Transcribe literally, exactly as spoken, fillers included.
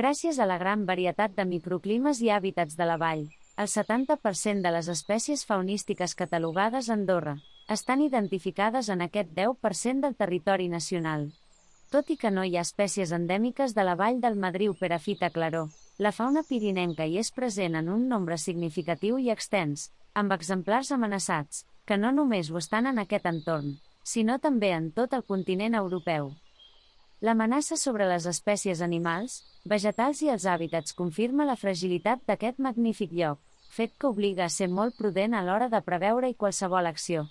Gràcies a la gran varietat de microclimes i hàbitats de la vall, el setanta per cent de les espècies faunístiques catalogades a Andorra estan identificades en aquest deu per cent del territori nacional. Tot i que no hi ha espècies endèmiques de la vall del Madriu Perafita Claró, la fauna pirinenca hi és present en un nombre significatiu i extens, amb exemplars amenaçats, que no només ho estan en aquest entorn, sinó també en tot el continent europeu. L'amenaça sobre les espècies animals, vegetals i els hàbitats confirma la fragilitat d'aquest magnífic lloc, fet que obliga a ser molt prudent a l'hora de preveure-hi qualsevol acció.